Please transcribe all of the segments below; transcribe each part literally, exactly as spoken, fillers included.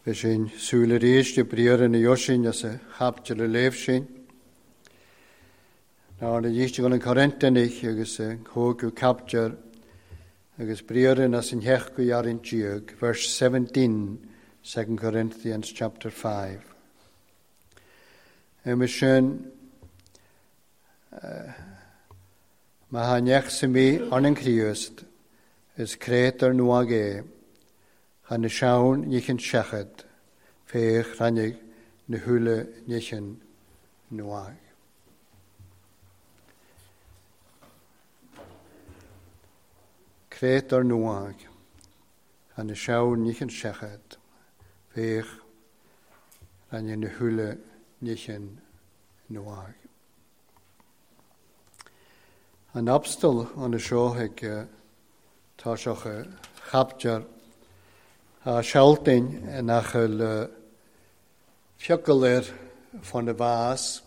Bhí sin súil arís de briathra na Yosin as a chapter a léamh sin. Ná na dhíiste an Corintianach agus a cógu chapter agus briathra as an heach go jarin díag, verse seventeen, Second Corinthians chapter five. Agus sin má ha neach sa mí an an Chríost is créatar nua é, cha na seann níchan seachad, féach rannig na húla níchan nua. Créatar nua, cha na seann níchan seachad, féach rannig na húla níchan nua. An abstal an seo ag tá seoch chapter a sealtain nach bhfuil fiacail air fan na bhás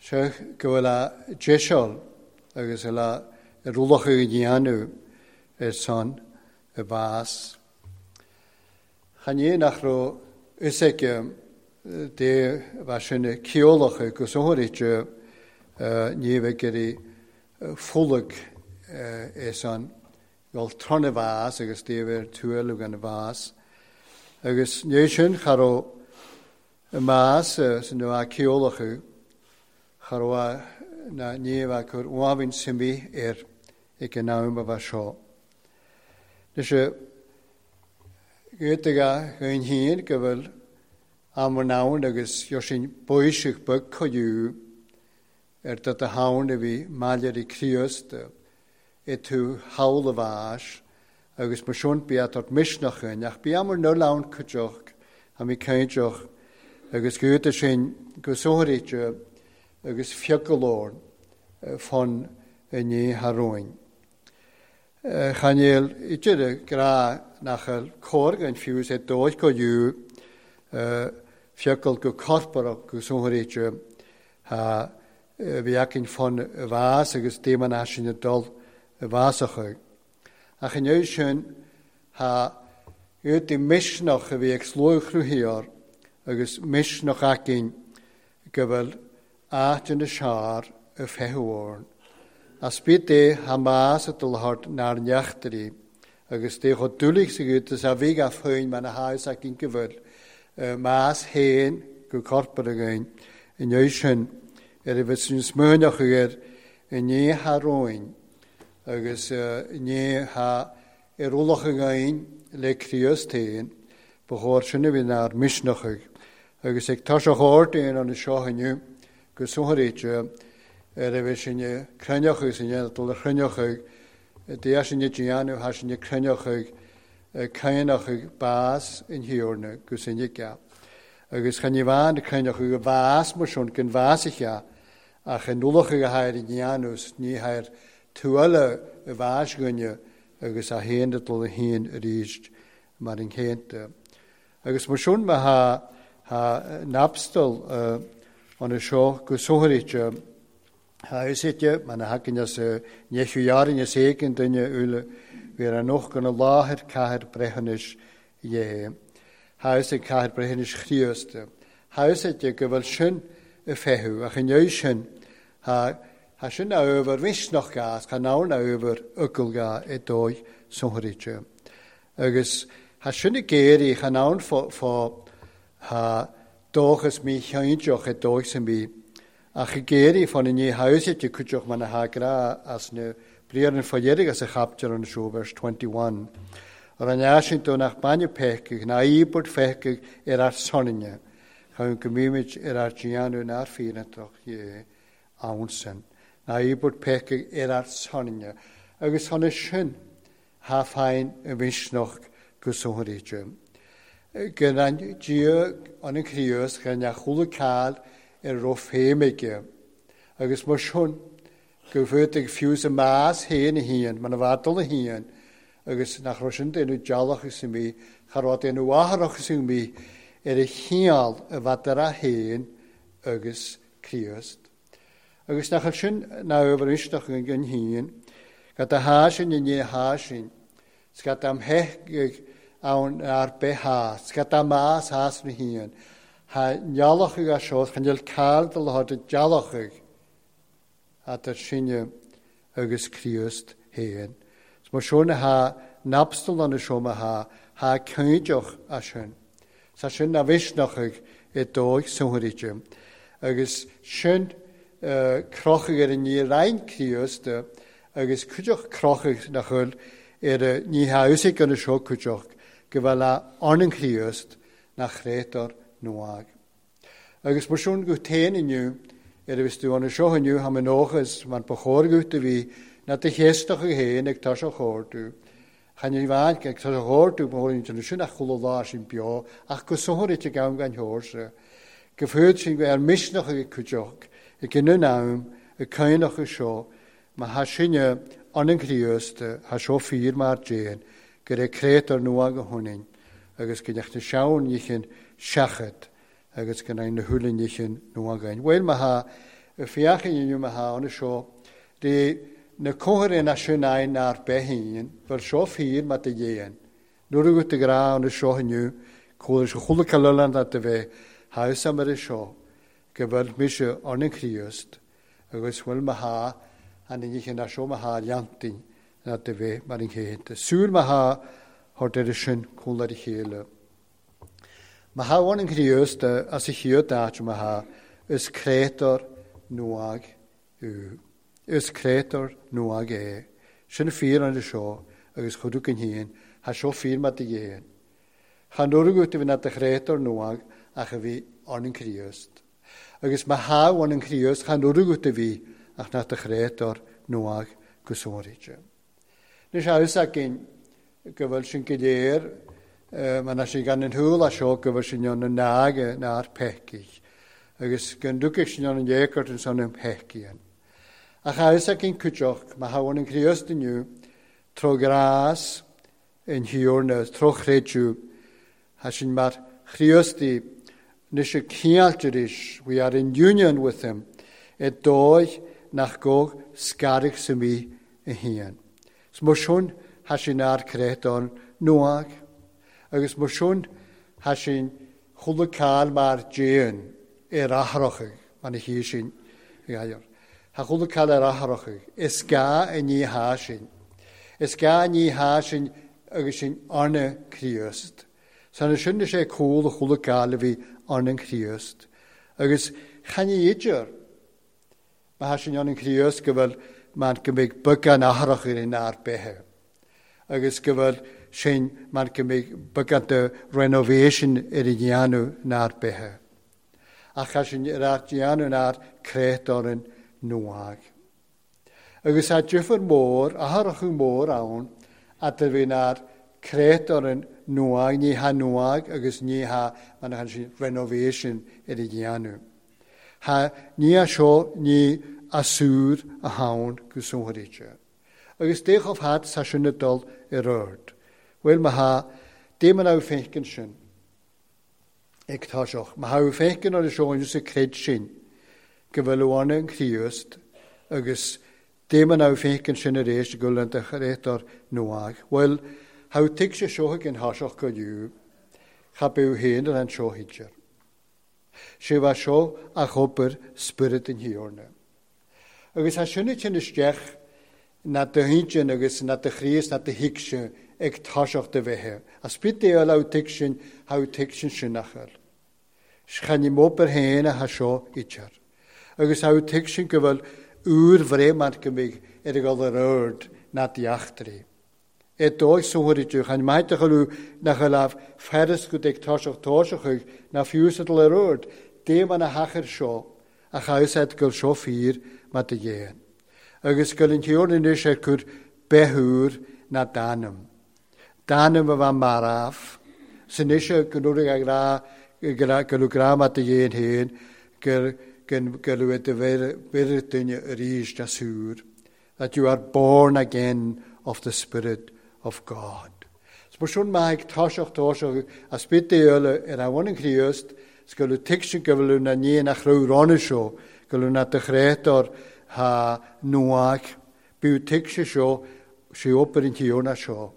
seo go bhfuil a deiseal agus a rúlach a dhéanamh ar son a bhás. Chan é nach raibh fhios aige dé bheith sin ceolach agus áirithe ní bheidh ar fulaig é san gol tron a bhás agus dé bheith tuail gan a bhás. Agus ní sin cha raibh y mas sy'n nhw a ceolach cha raibh na ní bheith cur uafin symi ar ag an am a bheith seo. Nes y gyda gyn hyn go bhfuil am an ann agus jo sin bwysig byg coiw ar dod a hawn a bhí maillir i Críost i tú hawl a bhás agus mar sin bí at misnach yn ach bí amar nul ann cuideach a mi cainteach agus gyda sin go sóirithe agus fiacail fan i ní tharúin. Chanéal idir gra nach cóir gan fiús é dóid go dú fiacail go corparach go sóirithe ha bhí acin fan y bhás agus déman sin y dul y bhásach. Ach inniu sin ha ywt i misnach a bhí ag slóchrúthaíoir agus misnach acin go bhfuil áit yn y siar y fehwrn. As byd é ha mas y dylhart na'r neachtari agus dé chod dúlaigh sa gút is a bhí a féin man a háis acin go bhfuil mas héin go corpar againn inniu sin ar a bheith sin smuineach air i ní tharúin agus ní ha ar ualach againn le Críost féin ba chóir sin a bhí nár misnach agus ag tá chóir aon an seo inniu go sóirithe ar a bheith sin cruinneach agus sin dul a chruinneach dé sin déanamh ha sin cruinneach cainneach bás in hiorna go sin geap. Agus chan i bhain cruinneach go bhás mar sin gan bhás a ach an ualach a hair i dhéanamh ní hair tuaille a bhás gcoinne agus a haon dul a haon arís mar an chéanta. Agus mar sin ma ha ha napstal an seo go sóirithe ha isite man a hakin as nechu jarin as éigin duine uile bhí an noch gan a láthair cathair breithiúnais dhé. Ha is ag cathair breithiúnais Chríost. Ha is ag go bhfuil sin y fehu ach inniu sin ha ha sin a över misnach gas cha nawn a över ugl ga i dóigh sóirithe. Agus ha sin y géirí cha nawn fo fo ha dóchas mi cheintioch i dóigh sin mi ach y géirí fan i ní hausite cuideach man a ha gra as na briar an fodhéirig as a chapter an seo verse twenty-one. Ar an easin do nach bainne peicigh na íbord feicigh ar ar soninne chun go mímid ar ar déanamh nár fírinteach dhé ann sin. Na íbord peicigh ar ar soninne agus thána sin ha féin y misnach go sóirithe. Gan an Dia an an Chríost gan a chúla cáil ar raibh féimige. Agus mar sin go bhfuil ag fiús y mas héin a híon, man a bhadal a híon, agus nach raibh sin déanamh dealach is mí, cha raibh déanamh athrach is mí, ar a chineál a bhadar a héin agus Críost. Agus nach bhfuil sin ná obair isteach an híon, gad a há sin i ní há sin, 's gad am heich ann ar bith scata más has na híon. Ha nealachú a seo chan níl cáil de le de dealachú at sinne agus Críost héin. Mar seo na ha napstal an seo ma ha ha cúideach a sin. Sa sin na bhisneachadh i dóigh sunthairíte. Agus sin crochadh ar an ní roinn Críost agus cuideach crochadh nach bhfuil ar ní haúsaigh an seo cuideach go bhfuil a an Críost nach chrétar nuag. Agus mar sin go téin inniu ar a bhís tú an seo inniu ha nóchas man ba chóir a bhí na de chéisteach héin ag tá chóirú. Chan ní bhain ag tá chóirú bhóin sin ach chuula lá sin beo ach go sóthir gan gan thuirse. Go fuad sin go ar misneach ag cuideach ag gin am ag caiinach seo má ha sinne an an Críost ha seo fíor mar déan gur é crétar nua go thunainn agus go neach na seann níchin seachad agus go na thuúla níchin nua gain. Bhfuil má ha fiachan inniu má ha an seo de na cóir na sin ar bethíon, bhfuil seo fíor mar de dhéan. Nuair go de gra an seo inniu, chuala se chuula calan a de bheith haus mar seo go bhfuil mise an an Críost agus bhfuil má ha an níchin na seo má ha leantain na de bheith mar an chéinte. Súil má ha thart ar sin cúla a chéile. Má ha an an Críost as a chiad áit má ha is crétar nuag ú. Is crétar nuag é. Sin fíor an seo agus chuú an híon, ha seo fíor mar de dhéan. Chan nuair go bhí na de chrétar nuag ach a bhí an an Críost. Agus má ha an an Críost chan nuair go bhí ach na de chrétar nuag go sóiríte. Nus haus againn go bhfuil sin go léir, mar na sin gan an thuúla seo go bhfuil sin an nága ná peicich, agus gan dúcaigh sin an dhécart an san an peicíonn. Ach haus againn cuideach má ha an Críost inniu tro grás in thiúrna tro chréidú ha sin mar Chríostaí nus a cíaltaris, we are in union with him, e dóigh nach go scarach sa mí a híon. Mar sin ha sin ar crétán nuag, agus mar sin ha sin chuula cáil mar déan ar athrachaigh man a hí sin gair. Ha chuula cáil ar athrachaigh, is gá i ní há sin. Is gá ní há sin agus sin arna Críost. San sin sé cúl a chuula cáil a bhí arna Críost. Agus chan í idir má ha sin an Críost go bhfuil man go mbeidh beagán athrach ar an ár bethe. Agus go bhfuil sin man go mbeidh beagán de renovation ar an dhéanamh nár bethe. Ach ha sin ar ár dhéanamh nár crétáran nuag. Agus ha difear mór, athrachú mór ann, at a bhí nár crétáran nuag, ní ha nuag agus ní ha man ha sin renovation ar an dhéanamh. Ha ní a seo ní asúr a hawn go sóthairíte. Agus déchof hat sa sin na dul ar ord. Bhfuil má ha dé man féiceann sin ag táiseach. Má ha féiceann ar seo sa creid sin go bhfuil bháin an Críost agus dé man féiceann sin ar éis go bhfuil an de chrétar nuag. Bhfuil ha tig sé seo ag an tháiseach go dú cha b'ú héin ar an seo hidir. Sé bha seo a chopair spirit an thiúrna. Agus ha sinna sin isteach na de hintjin agus na de chríos na de hicse ag táiseach de bheithe. A spit é á tig sin ha tig sin sinachar. Chan i móper héin a ha seo idir. Agus ha tig sin go bhfuil úr bhréimant go mbeidh ar a gol ar ord na deachtraí. E dóigh sóthairíte chan maith a chaú nach a lámh feras go ag táiseach táiseach na fiúsadal ar ord, dé man a hachar seo a chaúsaid go seo fíor mar de dhéan. Agus go an tíorna anois ar chur bethúr na danam. Danam a bheith maraf. San ishe go nuair a gra go gra mar de dhéan héin gur go luath de bheireadh duine arís asúr. That you are born again of the Spirit of God. Mar sin maith táiseach táiseach a spit eile ar a bhain an Críost go bhfuil tuigsin go bhfuil na ní nach raibh rána seo go bhfuil na de chrétar ha nuag b'ú tuigse seo sé obair an tíorna seo.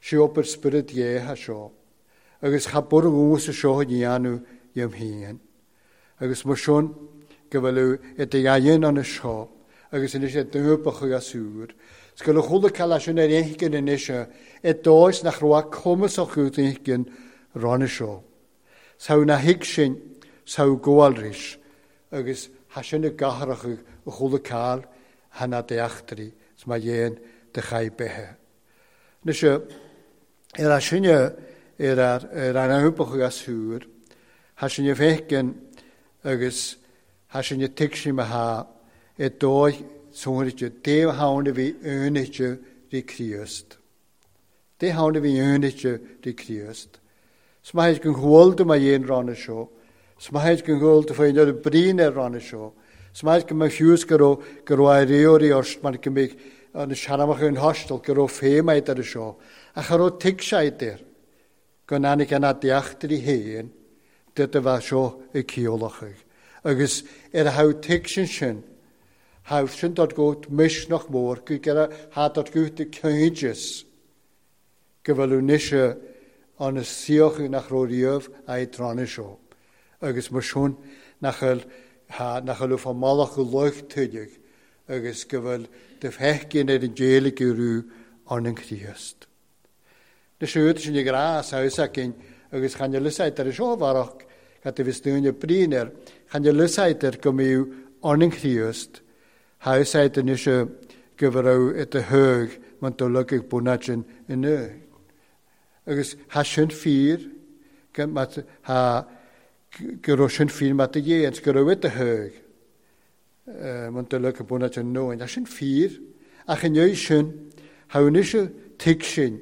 Si obair Spiorad Dé tha seo. Agus cha bur dhús seo dhéanamh dhéam féin. Agus mar sin go bhfuil i do dhéan an seo agus anois é dúbach agus úr. 'S go bhfuil chuile cealla sin ar éigin anois i dóis nach raibh cumas acu éigin ranna seo. 'S thá na thuig sin 's thá gabháil agus tha sin i gcathrach a chuile ceall tha na d'eachtraí 's má dhéan de chaith beithe. Anois ar a sinne ar ar an dúbach agus úr, tha sin i bhfeiceann agus tha sin i tuig sin tha i dóigh sonraithe dé thána bhí aonaithe rí Críost. Dé thána bhí aonaithe rí Críost. 'S maith gon bhfuil do má dhéan ranna seo, 's maith gon bhfuil do féin ar brín ar ranna seo, 's maith go mbeadh fiús go raibh go raibh réirí ort mar go mbeadh an seanamach an hostel go raibh féim ar seo, ach cha raibh tuig sé air go n-áinig an deachtraí féin de a bheith seo ag ciallachadh. Agus ar a thabh tuig sin sin, thabh sin dod go misneach mór go gera ha dod go de céideas go bhfuil nise an saoch nach raibh riamh a trána seo. Agus mar sin nach bhfuil nach bhfuil fá mallach go lucht tuideach agus go bhfuil de feicin ar an déala go raibh an an Chríost. Na siúd sin i grá saosaicin agus chan lusáid ar seo bharach cad a bhís dúine brín air, chan lusáid ar go mbíodh an an Chríost, thásáid anois go raibh i do thóg man do lugadh bunáidin inniu. Agus tha sin fíor tha go raibh sin fíor mat do dhéan, go raibh i do thóg man do lugadh bunáidin inniu. Tá sin fíor, ach inniu sin, tha anois tuig sin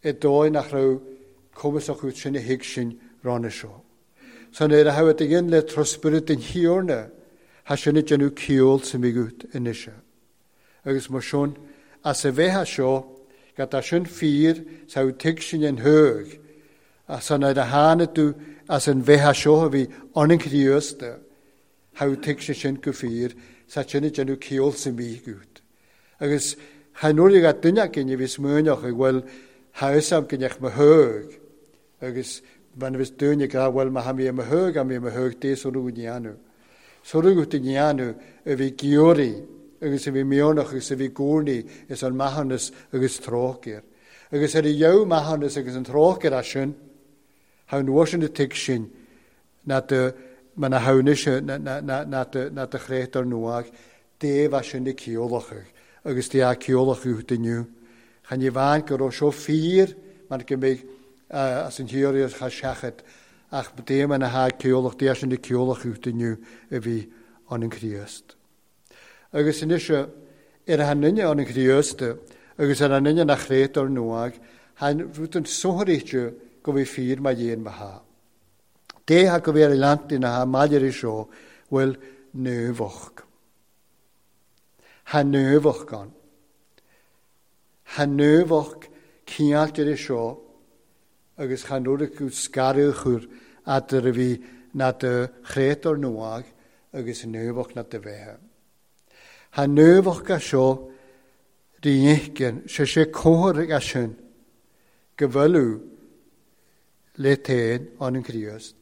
i dóigh nach raibh cumas acu sin a thuig sin ranna seo. San ar a thabh a dhéan le trospiorad den Thiarna, tha sin ag déanamh ceol sa mhigut anois. Agus mar sin, as a bheithe seo, go tá sin fíor sa tuig sin an thóg, as an ar a tháinig tú as an bheithe seo a bhí an an Chríost, tha tuig sin sin go fíor, sa sin ag déanamh ceol sa mhigut. Agus cha nuair a duine againn a bhí smaoineach ag bhfuil tha go neach mo thóg, agus man bhís dúine go bhfuil ma ha mí mo thóg a mí mo thóg dé sonú dhéanamh. Sonú go dhéanamh a bhí giúirí agus a bhí mionach agus a bhí gúrnaí is an maithiúnas agus trócaire. Agus ar a dheabh maithiúnas agus an trócaire as sin, tha an sin tuig sin na de man a tháinig na de na de chrétar nuach, dé bha sin na ceolachadh agus dé a ceolachadh inniu. Chan i bhain go raibh seo fíor mar go mbeidh as an theorí cha seachad ach dé man a tha ceolach dé sin na ceolachadh inniu a bhí an an Chríost. Agus anois ar a duine an an Chríost agus ar an duine nach chrétar nuach, tha rud an sonraíte go bhí fíor má dhéan ma tha. Dé tha go bhí ar leantaí na tha maidir seo bhfuil nuabhach. Tha nuabhach gan. Tha nuabhach cineáltar seo agus chan nuair go scaradh chur eadar a bhí na de chrétar nuach agus nuabhach na de bheithe. Tha nuabhach a seo rí sé sé comhar a sin go bhfuil le téin an an Chríost.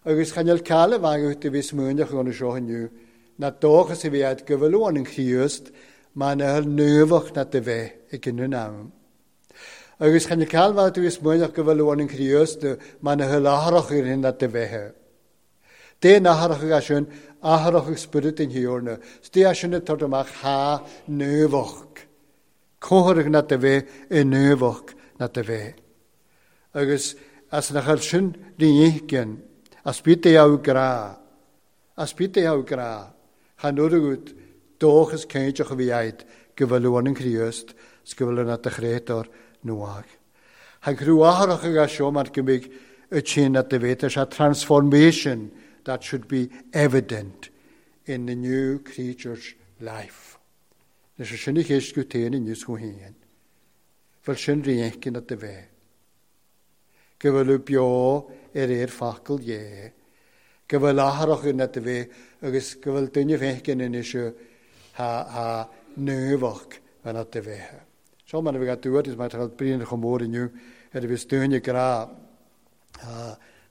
Agus chan eil ceall a bheith a bhí smaoineach an seo inniu, na dóchas a bhí agat go bhfuil an an Chríost má na thuil nuabhach na de bheith ag an am. Agus chan eil ceall a bheith a bhí smaoineach go bhfuil an an Chríost má na thuil athrach ar na de bheith. Dé nathrach a sin athrach ag spiorad den Thiarna, 's dé sin tar amach tha nuabhach. Comhar na de bheith i nuabhach na de bheith. Agus as na chuir sin rí as bít é á grá, as bít é á grá, chan nuair dóchas céideach a bhí agat go bhfuil an an Chríost 's go bhfuil na de chrétar nuach. Tha crú athrach a seo mar go mbeidh y sin na de bheith sé transformation that should be evident in the new creature's life. Nes sin i cheist go téin inniu go héin. Bhfuil sin rí na de bheith. Go bhfuil beo ar ar facal dhé. Go bhfuil athrach na de bheith agus go bhfuil duine bheith anois tha tha nuabhach na de bheith. Seo mar a bheadh dúirt is mar tá bríon chomh mór inniu ar a bhí dúinne grá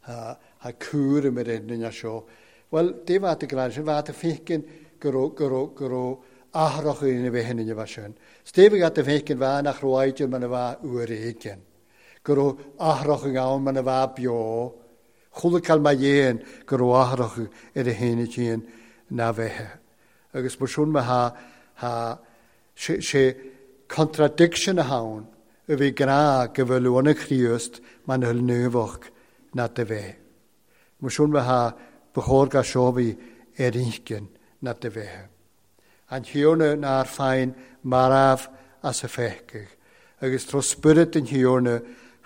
ha cúram ar an duine seo. Well, dé bhat a grá sin bhat a fécin go raibh go raibh go raibh athrach ina bheith in bheith sin. Steve gat a fécin bha nach raibh man a bha uair éigin. Go raibh athrach ann man a bha beo. Chuala cael mae dhéan go raibh athrach ar a héine chéan na bheithe. Agus mar sin ma ha ha sé sé contradiction a hawn a bhí grá go bhfuil anna Chríost man thuil nuamhach na de bheith. Mar sin ma ha bechóir ga seo bhí ar inchinn na de bheith. An thiorna nár féin marbh as a feicigh, agus tro spirit an thiorna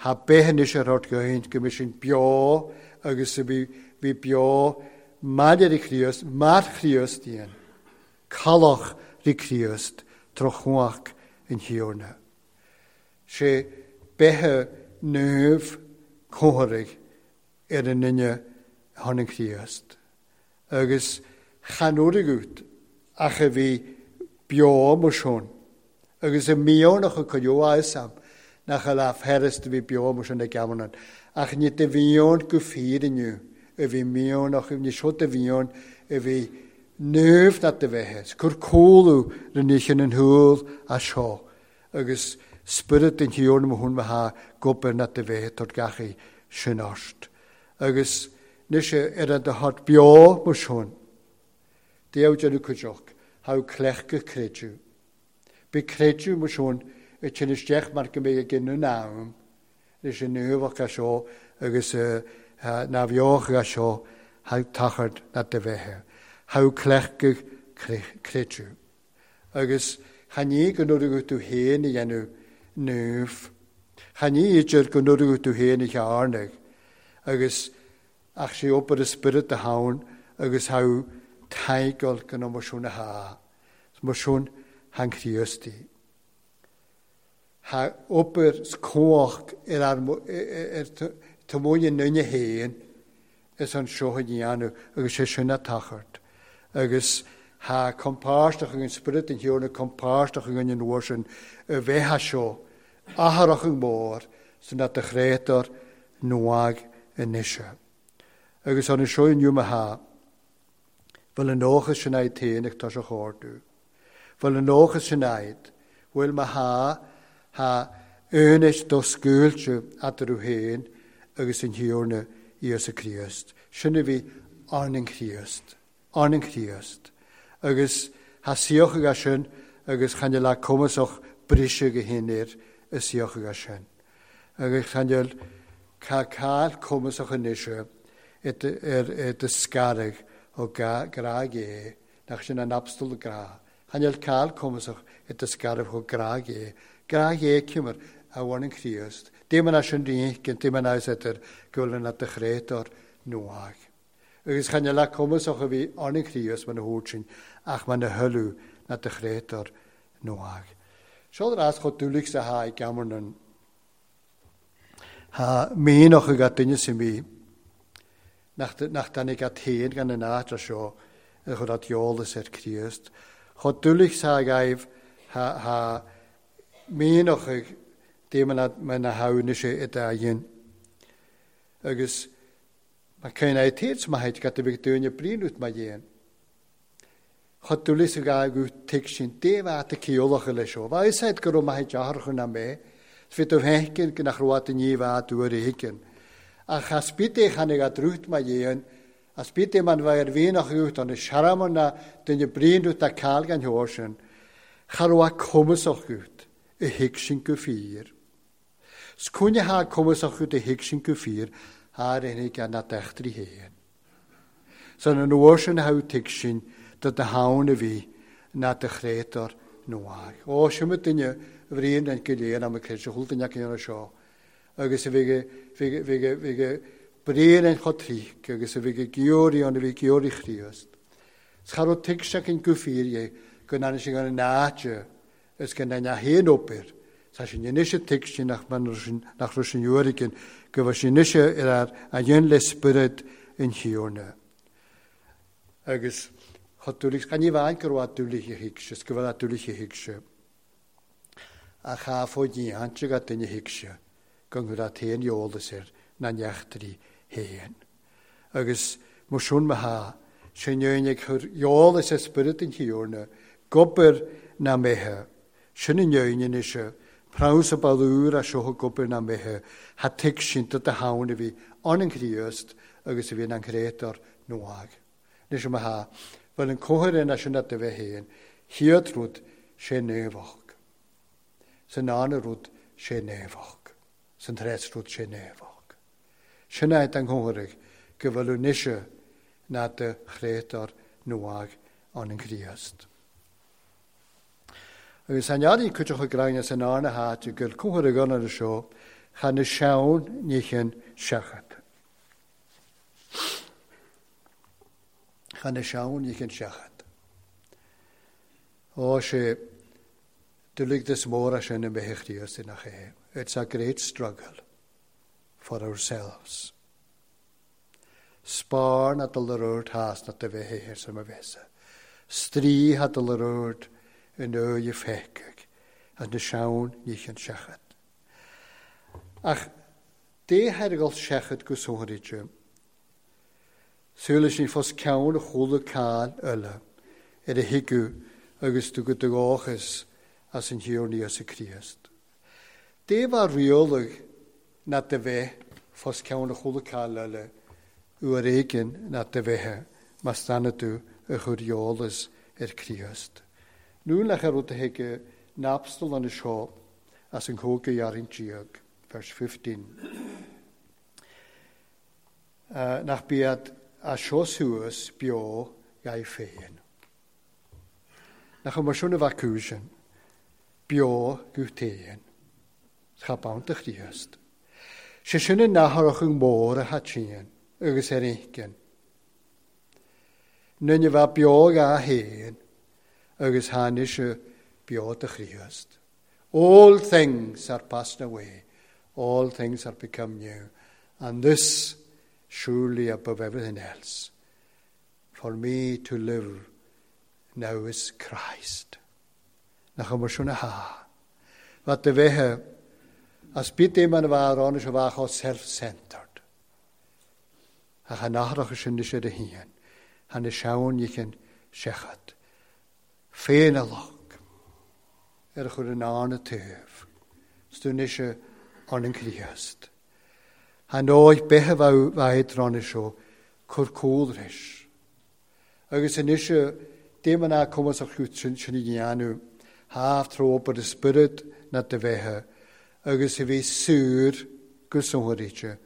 ha beithe ar ort goint go mis sin beo agus a bhí bhí beo maidir i Chríost, mar Chríost dhéan, calach rí Chríost tro chuach an thiorna. Sé beithe nuamh cótharaigh ar an duine thon an Chríost. Agus chan uair ach a bhí beo mar sin. Agus i míónach a cuireadh am nach a leath fearst a bhí beo mar sin ag gamannan. Ach ní de bhíón go fíor inniu a bhí míónach, ní seo de bhíón a bhí nuamh na de bheithe. Cur cúlú rinne sin an thuil as seo. Agus spirit an thiorna mo hun ha gobair na de bheithe tor gachaí sin ort. Agus nise ar an de hot beo mar sin. Déu déanamh cuideach, thá cleachta creidiú. Bí creidiú mar sin i sin isteach mar go mbeidh ag an am, leis an nuamhach a seo agus na bheoch a seo thá tachard na de bheithe. Thá cleachta creidiú. Agus chan ní go nuair tú héin a dhéanamh nuamh. Chan ní idir go nuair tú héin a chearnaigh. Agus ach sé obair a spirit a hawn agus thá taigal go mar sin a ha. Mar sin han Chríostaí. Ha obair cumhach ar ar ar tamóine nunne héin is an seo a dhéanamh agus sé sin a tachart. Agus ha compáisteach an spirit an thiorna compáisteach an an uair sin a bheithe seo athrach an mór san na de chréatar nuag anois. Agus an seo inniu ma ha bhfuil an nócha sin aid téanach tá sé chóirú. Bhfuil an nócha sin aid, bhfuil ma ha ha únis do scuailte eatarthu féin agus an thiorna Íosa Críost. Sin a bhí an an Chríost, an an Chríost. Agus ha saocha sin agus chan le cumasach briseadh go haon i saocha sin. Agus chan ca cael cumasach anois ar do scarag ó grá é, nach sin an abstal grá. Chan cael cumasach i do scarag ó grá é. Grá é cimar a bhain an Chríost. Dim an sin ríon, dim an idir go bhfuil an de chréatar nuag. Agus chan le cumasach a bhí an an Chríost man a thuairt sin ach man a thuilleadh na de chréatar nuag. Seo rás chomh dúlaigh sa ha i gamarnan. Ha míoch a gat duine sin mí nach nach danig at héin gan an áit seo a chur at eolas ar Chríost. Chomh dúlaigh sa gaibh ha ha míoch dim an na haúna sé i dá dhéin. Agus ma cén é ma heit gat a bheith dúine bríonút ma dhéin. Chomh dúlaigh sa gaibh go tuig sin dé bhat a ceolacha leis seo. Bha is go raibh maith deartha na mé, 's bhí tú fécinn go nach raibh ní bha uair éigin. Ach as bit é chanig a drút ma dhéan, as bit é man bha ar bhíonach út an searamar na duine bríonút a cael gan thuair sin, cha raibh a cumasach út i thuig sin go fíor. 'S cúinne ha cumasach út i thuig sin go fíor, thar aon gan na deachtraí héin. San an uair sin ha tuig sin do de hawn a bhí na de chréatar nuag. Ó, sin ma duine a bhríon an go léir am a creid chuil duine céanna seo. Agus a bhí bhí bríon an chotríc agus a bhí georí an a bhí georí Chríost. 'S cha raibh tuig sé an go fíor é go n-aithne sin an áite is go n-aithne haon obair. Tá sin anois tuig sin nach nach raibh sin uair go bhfuil sin anois ar a dhéan le spiorad an thiorna. Agus chomh dúlaigh gan ní bhain go raibh dúlaigh a thuig sé, go bhfuil dúlaigh a thuig sé. A cha fo díante ga duine thuigse go ngur a t-aon eolas air na neachtarí féin. Agus mar sin má thá sin ag cur eolas ar spiorad an Thiarna, gobair na mbeithe. Sin an fhírinne anois, prabhas a balúr a seo gobair na mbeithe, ha tuigsinta de thamhan a bhí ann an Chríost agus a bhí an créatúr nuadh. Anois má thá, bhfuil an comhair ina sin do bheith féin, chéad rud sé naomhach. San dara rud sé naomhach. San treas rud sé naomhach. Sin é an chomhair go bhfuil anois ná de chréatúr nuadh ann an Chríost. Agus an earraí cuideachta gráinne san arna háite gur cumhar a gona seo chan na seann níchin seachat. Chan na seann níchin seachat. Ó sé duligdas mór sin i mbeithe Chríost nach é. It's a great struggle for ourselves. Spar na dul ar ord has na de bheith héir sem a bheithe. Strí ha dul ar ord in öje feicig, as na seann níchin seachat. Ach dé hergal seachat go sonrite, súla sin fos ceann a chuala cáil eile ar a thuigeadh agus tú go dóchas as an Thiarna Íosa Críost. Dé bhar rialaigh na de bheith fos ceann a chuala cáil eile uair éigin na de bheith mas stanna tú a chur eolas ar Críost. Nú lech ar rud a thuige napstal an seo as an cóga dhearthain déag, verse fifteen. Uh, nach biad a seo suas beo gai féin. Nach mar sin a bheith cúisean, beo go téan, cha bant a Chríost. Sé sin an natharach an mór a hatíonn agus ar éigean. Nunne bheith beo ga héin agus tháinig beo do Chríost. All things are passed away, all things are become new, and this surely above everything else. For me to live now is Christ. Nach mar sin a há. Wat de bheithe as bit man a bheith ann a bheith self-centered. Ach an nathrach sin is ar a híon, han na seann níchin seachat. Féinalach ar chur an ána taobh, stúnise an an Chríost. Han óig bethe bheith drána seo cur cúlris. Agus anois déman a cumas a chút sin sin i dhéanamh, háf trópa de spiorad na de bheithe, agus a bhí súr go sonrite,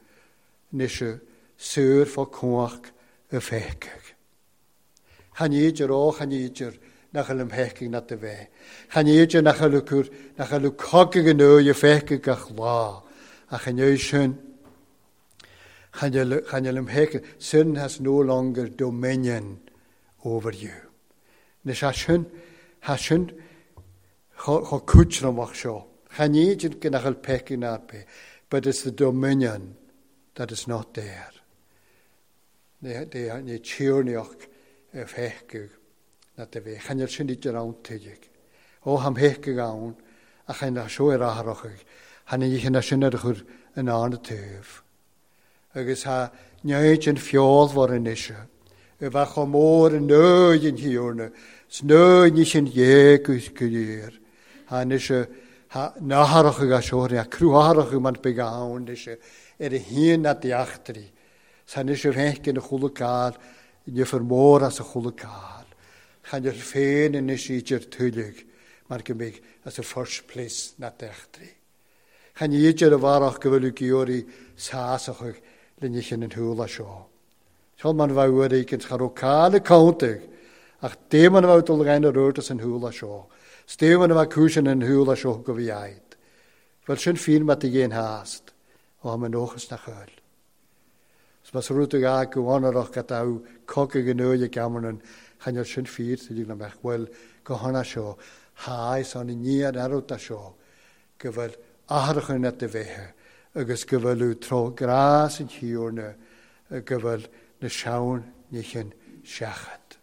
anois súr fá cuach a feicig. Chan idir ó, chan idir nach bhfuil am feicig na de bheith. Chan idir nach bhfuil cur, nach bhfuil cogadh an uair a feicig gach lá. Ach an uair sin, chan bhfuil am feicig. Sin has no longer dominion over you. Anois ha sin, ha sin cho cúitramach seo. Chan idir go nach bhfuil peicig na bith, but it's the dominion that is not there. Ní tíornaíoch a feicig na de bheith. Chan sin idir ann tuigig. Ó ham feicig ann, ach chan na seo ar atharachig. Han i sin ar chur an ána taobh. Agus ha neid an feolmhar anois. A bheith chomh mór an nóid an Thiarna, 's nóid ní sin dhéag go léir. Ha anois ha natharachig a seo, ha cruatharachig man beag ann anois ar a haon na deachtraí. 'S anois a bheith na chuala cáil, nifear mór as a chuala cáil. Chan ar féin anois idir tuiligh, mar go mbeidh as a first place na deachtraí. Chan idir a bharach go bhfuil geoirí sásachach le ní an thuala seo. Seo man bheith uair éigin cha raibh cáil cóntaigh, ach déman a bheith dul gain ar rud as an thuala seo. 'S déman a bheith cúisean an thuala seo go bhí aid. Bhfuil sin fíon mat a dhéan hást, ó am an nóchas na chuil. 'S mas rud a gá go bhfanarach go dtabh cogadh an uair gamarnan, chan ar sin fíor sa dtig le mbeadh bhfuil go hana seo, háis an ní an arúta seo, go bhfuil atharachan net de bheithe, agus go bhfuil tró grás an Thiarna, go bhfuil na seann níchin seachat.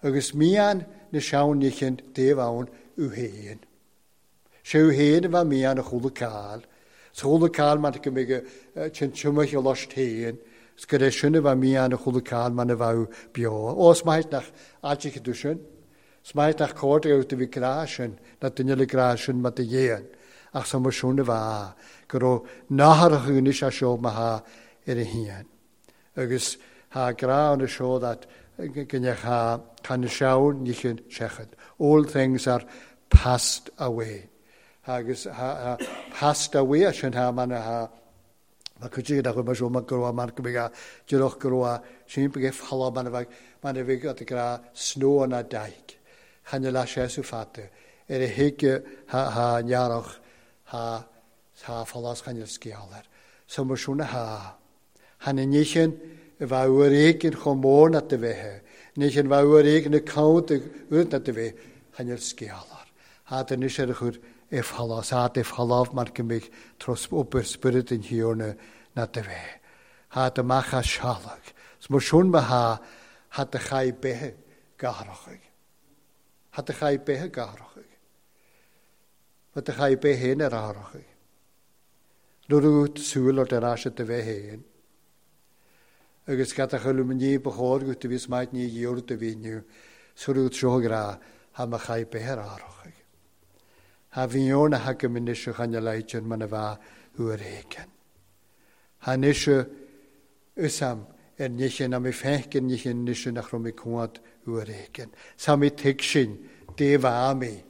Agus mian na seann níchin taobh ann u héin. Sé féin a bheith mian a chuala cáil. Sa chuala cáil mar go mbeidh tinn tiomach a lost féin, 's gur é sin a bheith mian a chuala cáil mar a bheadh beo. Ó, is maith nach áiteacha tú sin. Is maith nach cóir go do bhí grá sin, na duine le grá sin mar do dhéan. Ach sa mar sin a bheith, go raibh nathair a anois a seo mar tha ar a haon. Agus ha grá an seo that gynech ha can na seabhair níchin seachad. All things are passed away. Agus ha, ha passed away sin ha man ha ma cuid nach bhfuil seo mar go raibh mar go mbeidh díreach go raibh sin be falla man a bheith man a bheith at grá snow na daig. Chan le sé sú fata. Ar a thuige ha ha nearach ha ha fallas chan scéalar. So mar sin ha. Han na níchin a bheith uair éigin chomh mór na do bheith. Níchin bheith uair éigin a count uair na do bheith chan scéalar. Ha den is ar a chur e fallas, ha de falaf mar go mbeidh tros obair spiorad an Thiarna na do bheith. Ha de amach as sealach. 'S mar sin ma ha ha de chai bethe gathrachaigh. Ha de chai bethe gathrachaigh. Ha de chai bethe héin ar athrachaigh. Nuair a súil ort ar ais do bheith héin. Agus gad a chuil ní ba chóir go do bhí maith ní dhéor do bhí inniu, surú seo grá ha ma chai bethe ar athrachaigh. Ha bhí na hagam anois a chan leitin man a bheith uair éigin. Ha anois usam ar níchin a mé fécin níchin anois nach raibh mé cuad uair éigin. Sa mé tuig sin dé bha mé,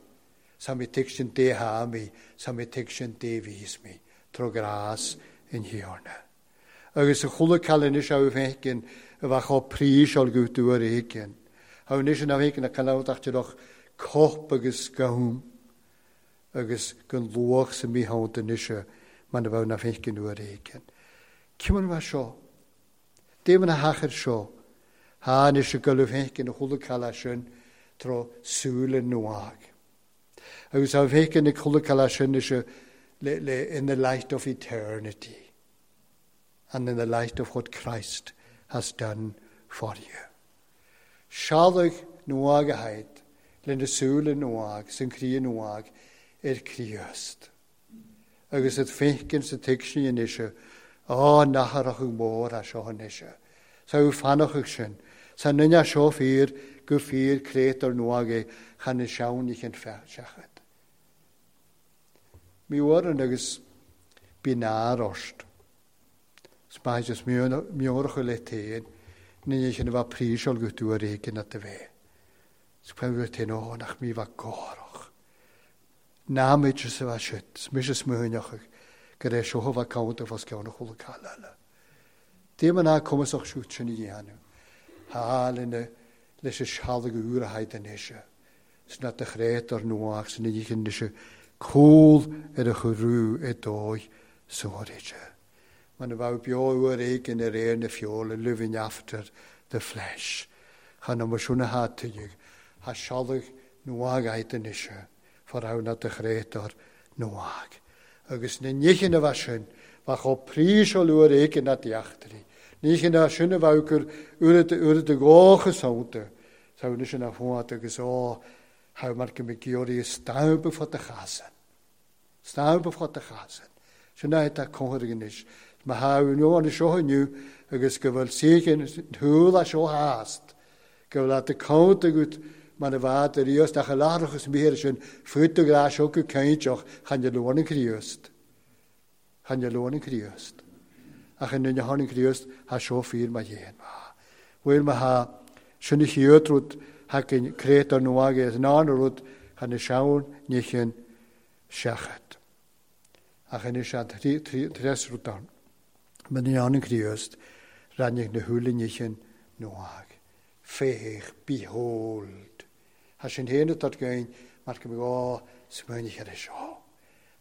sa mé tuig sin dé ha mé, sa mé tuig sin dé bhís mé, tro grás in Thiarna. Agus a chuala cail anois a fécin a bheith chomh príseáil go uair éigin. Ha anois na fécin a canabhtach ach cop agus gahum. Agus gan luach sa míhánt anois man a bheith na fécin uair éigin. Címan bheith seo? Déman a hachar seo. Ha anois a gulú fécin a chuala cail sin tro súil nuag. Agus a fécin a chuala cail sin anois le, le, in the light of eternity and in the light of what Christ has done for you. Sealach nuag a haid, le na súil nuag, san crí nuag, ar Críost. Agus it fécin sa tuig sin anois, á natharach mór a seo anois. Sa ú fanachach sin, sa nunne seo fíor go fíor créatur nuag é chan na seabhair níchin seachad. Mi uair agus bí náir ort. Spáid is miorach le téin, ní sin a bheith príseáil go uair éigin at a bheith. Spáid go téin ó nach mí bheith gárach. Námid sa bheith siad, mis is múineach go raibh seo bheith count fós ceann a chuala cail eile. Déman ná cumasach siúd sin a dhéanamh. Há lena leis a sealach úr a haid anois. Sna de chréatur nuach san níchin anois cúl ar a churú i dóigh sóirithe. Man a bheith beo uair éigin ar aon na feola, living after the flesh. Chan am sin a ha tuigh, ha sealach nuag haid anois, for na de chréatur nuag. Agus na níchin a bheith sin, bheith chomh príseáil uair éigin na deachtraí. Níchin a sin a bheith gur uair de gócha saonta. Sa anois na fóat agus ó, ha mar go mbeidh geoirí stampa fá de chasan. Stampa fá de chasan. Sin é tá cóngar anois. Ma ha inniu an seo inniu agus go bhfuil saochin thúil a seo hást. Go bhfuil at count agat man a bheith ar Ríost ach a láithreachas mír sin fút do grá seo go cainteach chan de luan an Críost. Chan de luan an Críost. Ach an duine tháinig Críost ha seo fíor ma dhéan. Bhfuil ma ha sin a chéad rud hacin créatur nuag is ná rud chan na seabhair níchin seachad. Ach anois an tres rud ann. Ma ní an Críost rannig na húla níchin nuag. Féach, behold. Ha sin héana tot gain mar go mbeidh ó smaoinigh ar seo.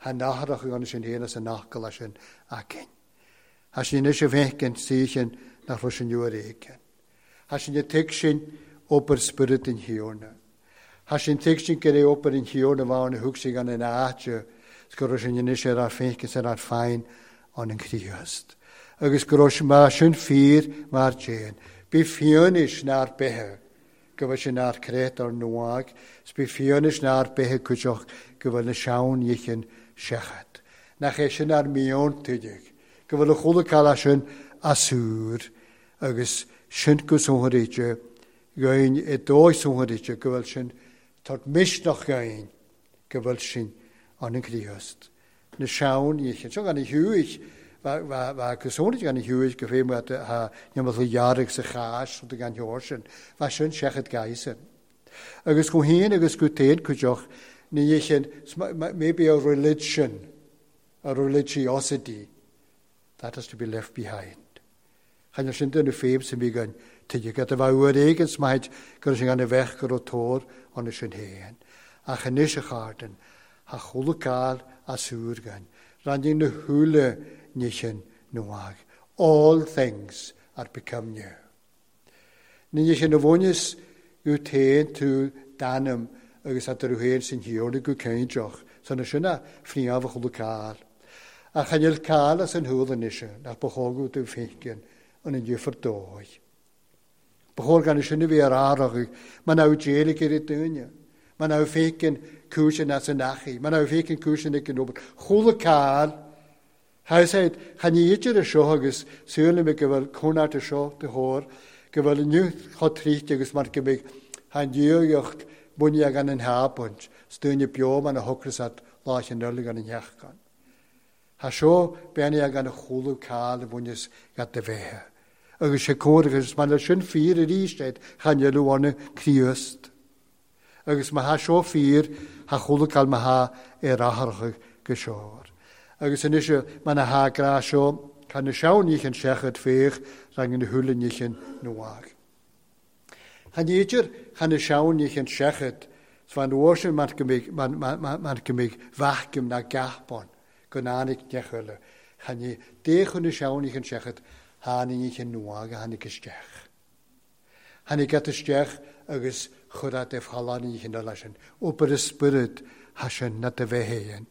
Ha natharach an sin héana sa nachcail sin acin. Ha sin anois a bheith saochin nach raibh sin uair éigin. Ha sin a tuig sin obair spiorad an Thiarna. Ha sin tuig sin go raibh obair an Thiarna bhain a thug sé gan an áite, go raibh sin anois ar ar fécin ar ar féin an an Críost. Agus go raibh mar sin fíor mar déan. Bí fiúnis nár bethe, go bhfuil sin nár créatur nuag, 's bí fiúnis nár bethe cuideach go bhfuil na sean-nithe seachad. Nach é sin ár meon tuigeadh, go bhfuil a chuala cail sin asúr agus sin go sonraíte gain i dóigh sonraíte go bhfuil sin tart misneach gain go bhfuil sin an an Chríost. Na sean-nithe. Seo gan i thuaidh, bha go sonraíte gan i thuaidh go féin ha neamh dhearg sa chás rud gan theoir sin. Bha sin seachad gaisin. Agus go haon agus go téan cuideach ní sin maybe a religion, a religiosity, that has to be left behind. Chan sin den féim sem bhí gan tuige go a bheith uair éigin smaid gur sin gan a bheith go tóir an sin héan. Ach anois a chairde, ha chuala cáil asúr gan. Ranning na húla ní nuag. All things are become new. Ní sin a bhaineas go téan tú danam agus a héin sin hiorna go céinteach, san na sinna fríamh chuala cáil. A chanil cáil as an húla nise nach b'chógadh tú fécin an an difear dóigh. B'chóir gan sin a bhí ar árach, man ná déalaigh ar dúine, man ná fécin cúisin as an achaí, man ná fécin cúisin ag an obair. Chuala cáil, Tha chan idir a seo agus súla me go bhfuil cónart a seo de thóir, go bhfuil inniu chomh tríchte agus mar go mbeidh han dúocht buine gan an hábunt, stúine beo man a thocras lá an eile gan an theachgan. Tá seo beanna gan a chuala cáil a bhaineas gat de bheithe. Agus sé cóir agus man le sin fíor arís iad chan eile anna Críost. Agus má tha seo fíor tha chuala cáil má tha ar atharcha go seoir. Agus anois man a tha grá seo chan na sean-nithe seachad féach rang na húla nithe nuag. Chan idir chan na sean-nithe seachad van uair sin mar go mbeidh vacuum na gapon go nánig nechuile. Chan ní déchun na sean-nithe seachad tháinig nithe nuag a tháinig isteach. Tháinig gat isteach agus chur de fhalán nithe eile sin. Obair y spirit ha sin na de bheith héin.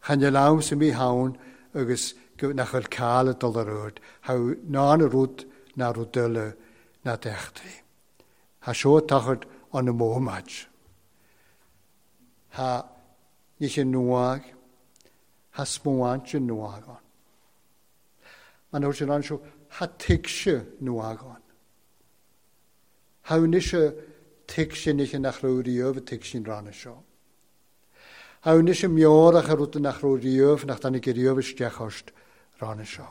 Chan e lam sem mí haun agus nach bhfuil cáil dul ar rud, ha ná na rud na rud eile na deachtraí. Ha seo tachard an na mómaid. Ha nithe nuag, ha smuáinte nuag an. Man thuair sin an seo, ha tuigse nuag an. Ha nise tuigse nithe nach raibh riamh tuigse ranna seo. Ha nise meorach a rud nach raibh riamh nach tháinig riamh isteach ort ranna seo.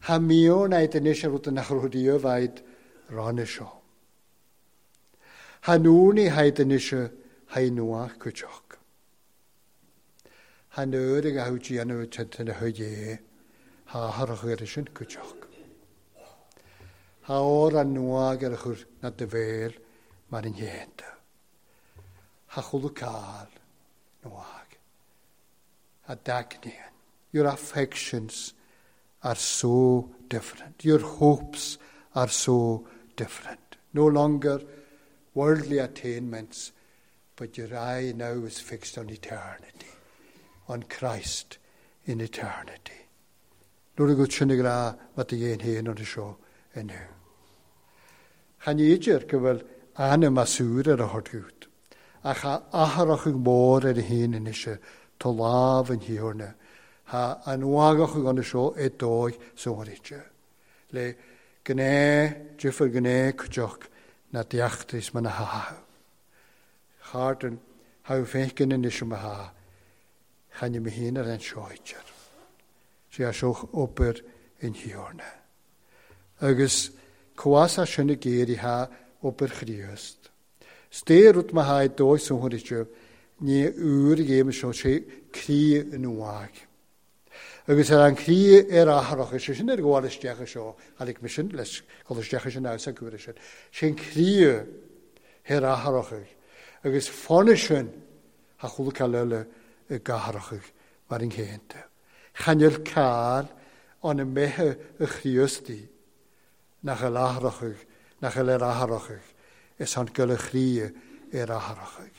Ha meon aid anois a rud nach raibh riamh aid ranna seo. Ha núni haid anois ha nuach cuideach. Ha nuair ag a thú déanamh tintin a chuid é, ha tharach ar sin cuideach. Ha ór an nuag ar a chur na de bhéal mar an dhéanta. Ha chuala cáil nuag. Ha dagníonn. Your affections are so different. Your hopes are so different. No longer worldly attainments, but your eye now is fixed on eternity, on Christ in eternity. Nuair a go sinna grá mat a dhéon héin an seo inniu. Chan idir go bhfuil anam asúr ar a thorgút, ach ha atharach mór ar a héin inise tá lámh an thiorna, ha an uagach an seo i dóigh sóirite. Le gné, difear gné cuideach na deachtais man a ha. Chairde ha fécin inise ma ha, chan me héin ar an seoidir. Sé a seoch obair in thiorna. Agus cuasa sin a géirí ha obair Chríost. Sté rud ma ha i dóigh sóirite, ní uair a ghéim seo sé crí in uaig. Agus ar an crí ar atharach, sé sin ar gabháil isteach seo, tháinig me sin leis gabháil isteach sin ná sa cuaire sin. Sin crí ar atharach. Agus fána sin ha chuala cáil eile i gcatharach mar an chéanta. Chanil cáil an a mbeithe a Chríostaí nach a látharach, nach a le atharach, is an go le chrí ar atharach.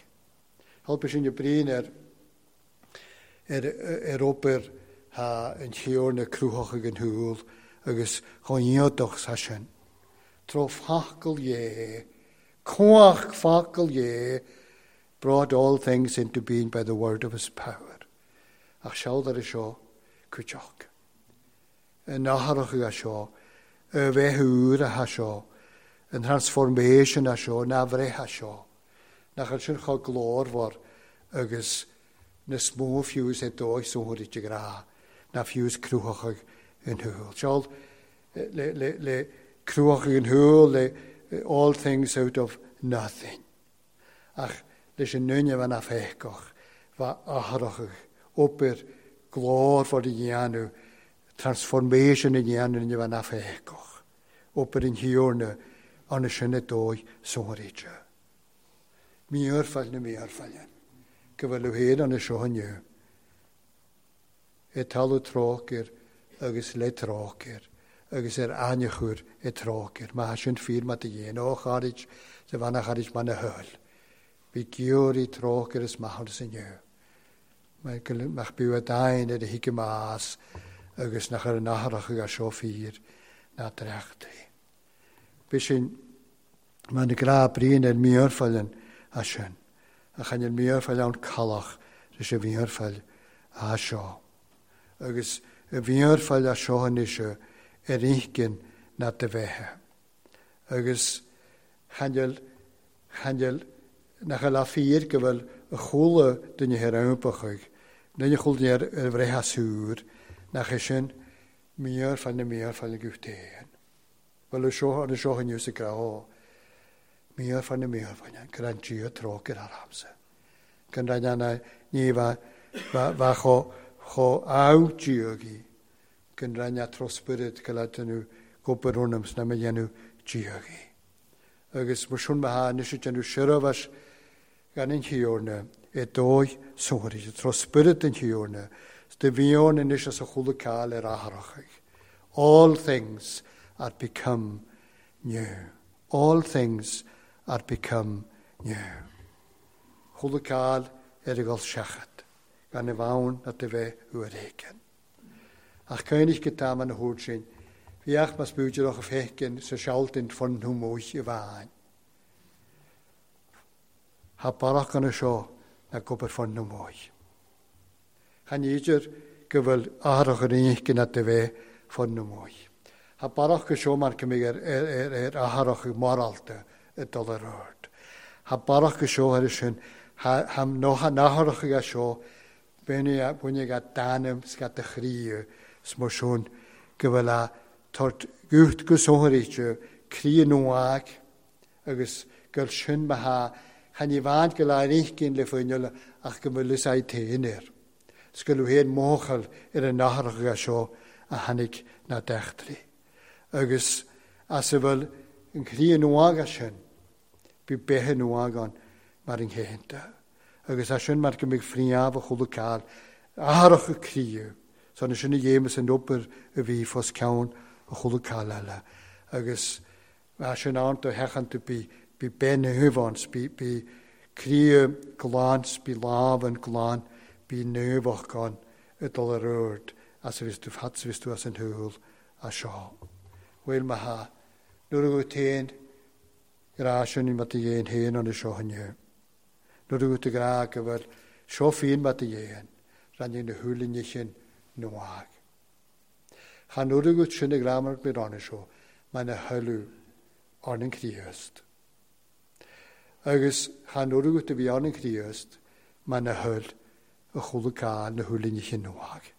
Helpa sin bríon ar ar ar obair ha an thiorna cruthach ag an húl agus chun sa sin. Tro facail dhé, cuach facail dhé, brought all things into being by the word of his power. Ach sealdar i seo cuiteach. Yn athrach a seo, y bheith úr a seo, an transformation a seo, na bhreith a seo. Nach sin cho glórmhar agus na smó fiús é dóigh sóthir i grá, na fiús cruthach in thuúil. Seol le, le, le cruthach in thuúil, le all things out of nothing. Ach leis an nunne bheith na féiceach, bheith athrach obair glórmhar i dhéanamh, transformation i dhéanamh bheith na féiceach. Obair in thiúrna anna sin dóigh sóthir. Míorfáil na míorfáil. Go bhfuil féin anna seo inniu. E talamh trócaire agus le trócaire agus ar aithne e trócaire. Má sin fíor mat a dhéan ó charid sa bhana charid man a thuil. Bhí giúirí trócaire is maith inniu. Mach bú a dain ar a hiige más agus nach ar an athrach a seo fíor ná dreachtaí. Bhí sin man na grá bríon ar míorfáil a sin. A chan ar míorfáil ann calach leis a mhíorfáil a seo. Agus a mhíorfáil a seo anois ar inchinn na de bheithe. Agus chan chan nach a fíor go bhfuil a chúla duine ar ampachaigh, duine chúla duine ar bhreithe súr, nach é sin míorfáil na míorfáil go féin. Bhfuil seo an seo inniu sa grá míorfáil na míorfáil go an Dia trócaire aramsa. Gan na ní bheith cho cho á Diagaí gan ranna trospirid go le déanamh gobar ornam sna me dhéanamh Diagaí. Agus mar sin matha anois déanamh seirbhís gan an Thiarna i dóigh sóthir, trospirid an Thiarna, de bhíon anois as a chúla cáil ar athrachaigh. All things are become new. All things are become new. Chúla cáil ar a gol seachat, gan y bhain na de bheith uair éigin. Ach cuimhnigh go tá an thuair sin, bhíoch mas búideach a fécin sa sealtain fun thu móich i bhain. Ha barach an seo na gobar fun nó móich. Chan idir go bhfuil athrach ar inchinn na de bheith fun nó móich. Ha barach go seo mar go ar ar ar athrach morálta i dul ar ord. Ha barach go seo ar sin ha nócha nathrach a seo bhaine ga danam scat a chríú smó sin go bhfuil a tort gúcht go sóthairíte crí nuag agus gur sin ma ha chan i bhain go le inchinn le fuinneall ach go bhfuil is téin air. 's go bhfuil féin móchal ar an nathrach a seo a tháinig na deachtraí. Agus as a bhfuil an chrí nuaga sin, bhí bethe nuagan mar an chéanta. Agus as sin mar go mbeidh fríámh a chúla cáil athrach a críú. So na sin a dhéamas an obair a bhí fós ceann a chúla cáil eile. Agus as sin ann do heachan tú bí bí ben thuáns, bí bí críú glan, bí lámh an glan, bí nuach gan i dul ar ord as a bhís tú fad bhís tú as an thuúil a seo. Bhfuil ma ha, nuair a go téin grá sin i mat a dhéan héin an seo inniu. Nuair a go tú grá go bhfuil seo féin mat a dhéan, rann na húlinne sin nuag. Chan nuair a go sin a grámar go ranna seo, mar na thuú ar an Chríost. Agus chan nuair a go tú bhí ar an Chríost, mar na thuil a chúla cáil na húlinne sin nuag.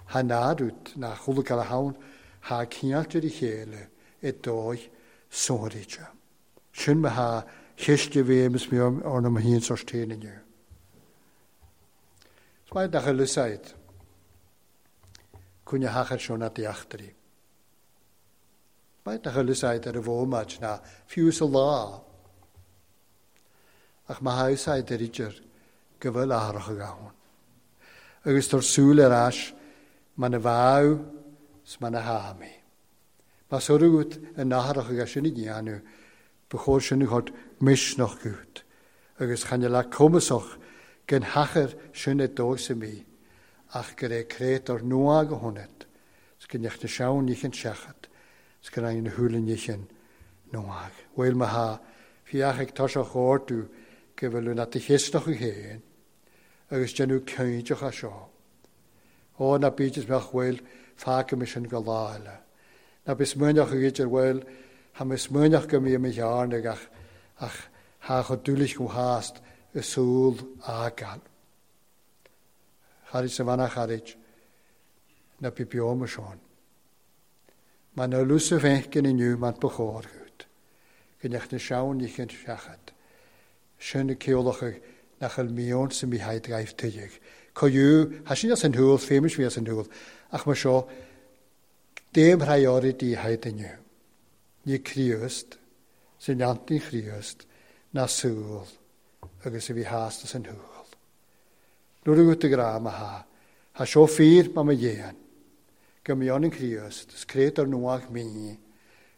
Ha nádút na chúla cáil a hain ha cineáltar i chéile i dóigh sóthairíte. Sin ma ha chiste bhéim mé ar na híon sostéin inniu. Is maith nach a lusaid cúne hachar seo na deachtarí. Maith nach a lusaid ar a bhómaid na fiú sa lá. Ach má úsáid ar idir go bhfuil athrach a gabhann. Agus tar súil ar ais man a bháú 's man a hámi. Mas orút an nathrach agus sin i dhéanamh, ba chóir sin a chur misneach gut, agus chan le cumasach gan hachar sin i dóigh mí, ach gur é créit ar nua go hionad, 's go neach na seann níchan seachat, 's go raibh na húla níchan nuag. Bhfuil ma ha, fiach ag toiseach ortú Go bhfuil na chéisteach héin agus déanamh cinnteach a seo. Ó na bídis meach bhfuil fágaimis sin go lá eile. Na bis muineach a idir bhfuil ha mis muineach go mí mi chearna ach ach ha chu dúlich go hást y sŵl agal. Charid sa fanna charid na bí bioma seán. Ma na lúsa fenkin inniu man bechór goed. Gynech na seán ní chyn seachad. Sin y ceolach nach el mion sy'n mi haid gaif tydig. Coiw, ha sin as yn hwyl, ffemus fi as yn hwyl, ach mae sio, dim rhai o'r di haid inniu. Ni Christ, sy'n antin Christ, na sŵl, agus y fi hast as yn hwyl. Nw'r yw'r y gra ma ha, ha sio ffyr ma ma ien. Gymion yn Christ, ys cred ar nwach mi,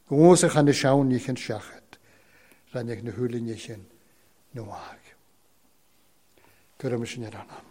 gwrs ych an y siawn ni chyn siachad, rhan eich na hwylyn ni chyn nwag. Gwrym sy'n yr anam.